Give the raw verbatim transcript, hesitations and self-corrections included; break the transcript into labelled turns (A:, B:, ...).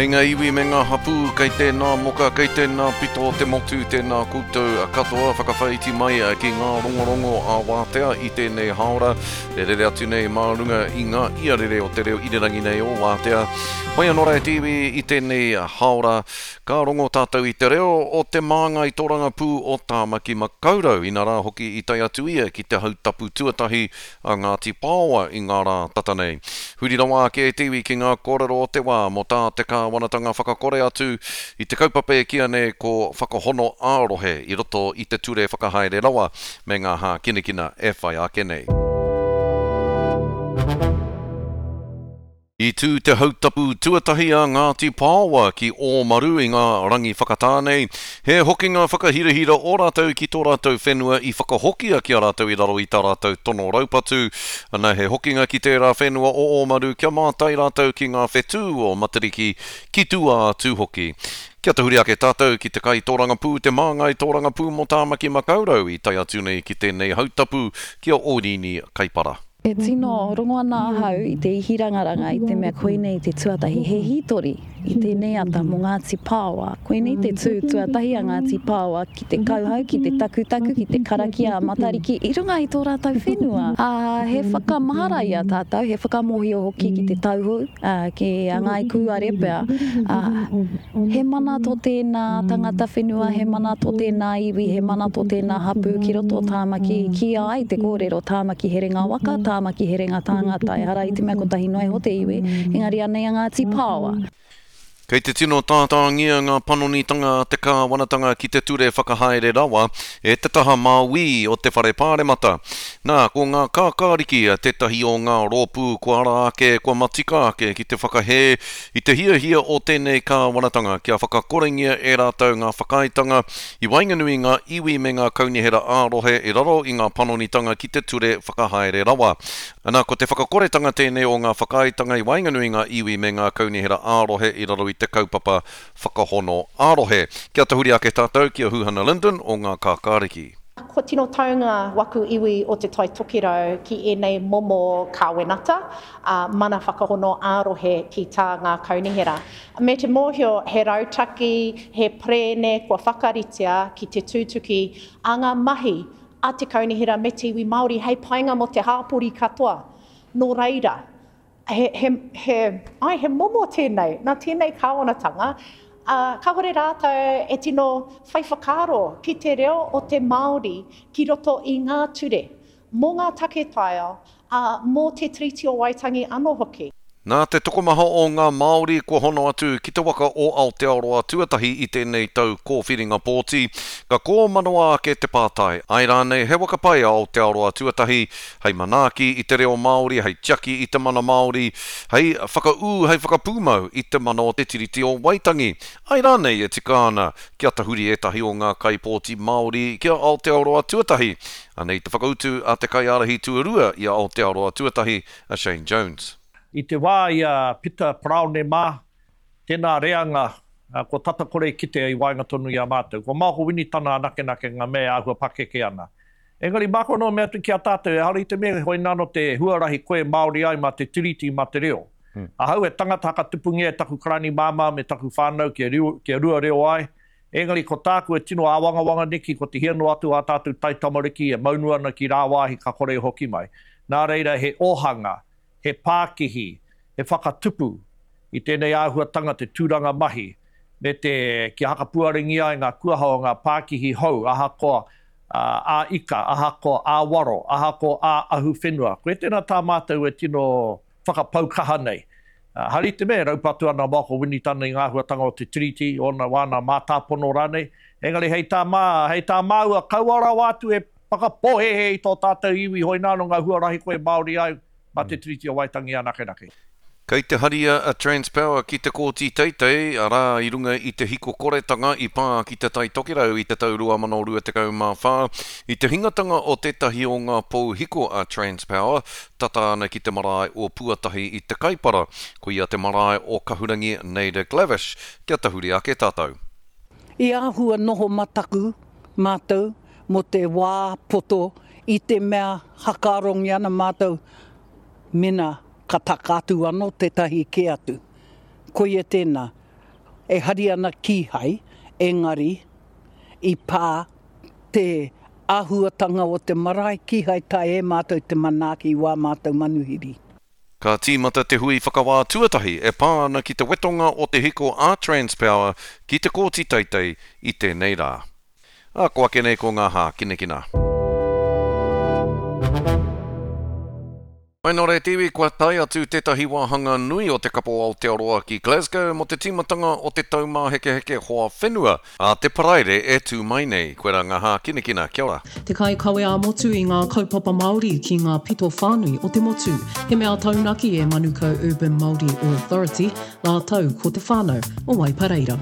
A: Kei ngā iwi me ngā hapū, kei tēnā moka, kei tēnā pito o te motu, tēnā koutou katoa whakawhaiti mai ki ngā rongorongo a Wātea i tēnei hāora e rere atu nei mā runga i ngā iarere o te reo irirangi nei o Wātea. Hoi anō rā e te iwi i tēnei hāora, ka rongo tātou i te reo o te māngai tōrangapū o Tāmaki Makaurau, inarā hoki i tae atu ia ki te hautapu tuatahi a Ngāti Paoa i ngā rā tata nei. Huri rawa ake e te iwi ki ngā kōrero o te wā mō tā te kāwanatanga whakakore atu i te kaupapa e kīia nei ko Whakahono ā-Rohe i roto i te Ture Whakahaere Rawa me ngā hākinakina e whai ake nei. I tū te hautapu tuatahi a Ngāti Paoa ki Ōmaru i ngā rangi whakatā nei, he hokinga whakahirahira ō rātou ki tō rātou whenua i whakahokia ki a rātou i raro i tā rātou tono raupatu. Ana he hokinga ki tērā whenua o Ōmaru kia mātai rātou ki ngā whetū o Matariki, ki tua atu hoki. Kia tahuri ake tātou ki te kaitōrangapū, te māngai tōrangapū mō Tāmaki Makaurau i tae atu nei ki tēnei hautapu ki a Ōrini Kaipara.
B: E tino rongo ana ahau i te ihirangaranga i te mea koinei te tuatahi, he hītori i tēnei ata mō Ngāti Paoa. Koinei te tū tuatahi a Ngāti Paoa ki te kauhau, ki te takutaku, ki te karakia a Matariki i runga i tō rātou whenua. Ā, he whakamahara i a tātou, he whakamōhio hoki ki te tauhou, ā, ki a Ngāi Kūare pea, ā, he mana tō tēnā tangata whenua, he mana tō tēnā iwi, he mana tō tēnā hapū ki roto o Tāmaki, i kīia ai te kōrero Tāmaki Herenga Waka, Tāmaki Herenga Tāngata, ehara i te mea kotahi noa iho te iwi, engari anei a Ngāti Pāoa.
A: Kei te tino tātāngia ngā panonitanga a te kāwanatanga ki te ture whakahaere rawa e te taha māuī o te whare pāremata. Nā, ko ngā kākāriki tētahi o ngā rōpū kua ara ake, kua matika ake ki te whakahē i te hiahia o tēnei kāwanatanga kia whakakorengia e rātou ngā whakaaetanga i waenganui i ngā iwi me ngā kaunihera ā-rohe i raro i ngā panonitanga ki te ture whakahaere rawa. Ana, ko te whakakoretanga tēnei o ngā whakaaetanga i waenganui i ngā iwi me ngā kaunihera ā-rohe i raro i te kaupapa whakahono ā-rohe. Kia tahuri ake tātou ki a Huhana Lyndon o Ngā Kākāriki.
C: Kua tino taunga waku iwi o Te Tai Tokerau ki ēnei momo kāwenata, ā, mana whakahono ā-rohe ki tā ngā kaunihera. Me te mōhio he rautaki, he perēne kua whakaritea ki te tūtuki a ngā mahi a te kaunihera me te iwi Māori hei painga mō te hāpori katoa. Nō reira, he, he, he, ai, he momo tēnei, nā tēnei kāwanatanga, ā, kāore rātou e tino whai whakaaro ki te reo o te Māori ki roto i ngā ture, mō ngā take taiao, ā, mō te Tiriti o Waitangi anō hoki.
A: Nā te tokomaha o ngā Māori kua hono atu ki te waka o Aotearoa Tuatahi i tēnei tau kōwhiringa pōti, ka kōmanawa ake te pātai, āe rānei he waka pai a Aotearoa Tuatahi hei manaaki i te reo Māori, hei tiaki i te mana Māori, hei whakaū, hei whakapūmau i te mana o te Tiriti o Waitangi? Āe rānei e tika ana kia tahuri ētahi o ngā kaipōti Māori ki a Aotearoa Tuatahi? Anei te whakautu a te kaiārahi tuarua i a Aotearoa Tuatahi, a Shane Jones.
D: I te wā i a Pita Paraone mā, tēnā reanga kua tata kore kitea i waenga tonu i a mātou. Ko Maoko Winitana anakenake ngā mea e āhua pakeke ana. Engari māku anō mea atu ki a tātou, ehara i te mea hoināno te huarahi koe Māori ai mā te Tiriti, mā te reo. Ahau he tangata hakatupungia e taku karani māmā me taku whānau kia, kia rua reo ai, engari ko tāku e tino āwangawanga neki ko te hia noa atu ā tātou taitamariki e maunu ana ki rāwāhi ka kore e hoki mai. Nā reira he ōhanga, he pākihi, he whakatupu i tēnei āhuatanga te tūranga mahi me te kia hakapuarengia ai ngā kuaha o ngā pākihi hou ahakoa ā-ika, ahakoa ā-waro, ahakoa ā-ahuwhenua. Koe tēnā tā mātou e tino whakapau kaha nei. Hari te mea e raupatu ana a Michael Winitana i ngā āhuatanga o te Tiriti, ōna wāna mātāpono rānei, engari hei tā mā, hei tā māua, kaua rawa atu e whakapōhēhē i tō tātou iwi hoināno ngā huarahi koe Māori ai, mā te Tiriti o Waitangi anakenake.
A: Kei te haria a Transpower ki te Kōti Teitei, arā, i runga i te hikokoretanga i pā ki Te Tai Tokerau i te tau rua mano rua tekau mā whā, i te hingatanga o tētahi o ngā pou hiko a Transpower, tata ana ki te marae o Puatahi i Te Kaipara, koia te marae o Kahurangi Naida Glavish, kia tahuri ake tātou.
E: I āhua noho mataku mātou mō te wā poto i te mea hakarongi ana mātou mena ka taka atu anō tētahi kē atu. Koia tēnā. E hari ana kīhai, engari i pā te āhuatanga o te marae kīhai taea e mātou te manaaki i wā mātou manuhiri.
A: Ka tīmata te hui whakawā tuatahi e pā ana ki te wetonga o te hiko a Transpower ki te Kōti Teitei i tēnei rā. Ā, ko ake nei ko ngā hākinakina. Mai nō reira te iwi, kua tae atu tētahi wāhanga nui o te Kapo Aotearoa ki Glasgow mō te tīmatanga o te Taumāhekeheke Hoa Whenua a te Paraire e tū mai nei. Koirā ngā hākinakina. Kia ora.
F: Te kaikawe ā-motu i ngā kaupapa Māori ki ngā pito whānui o te motu. He mea taunaki e Manukau Urban Māori Authority rātou ko te whānau o Waipareira.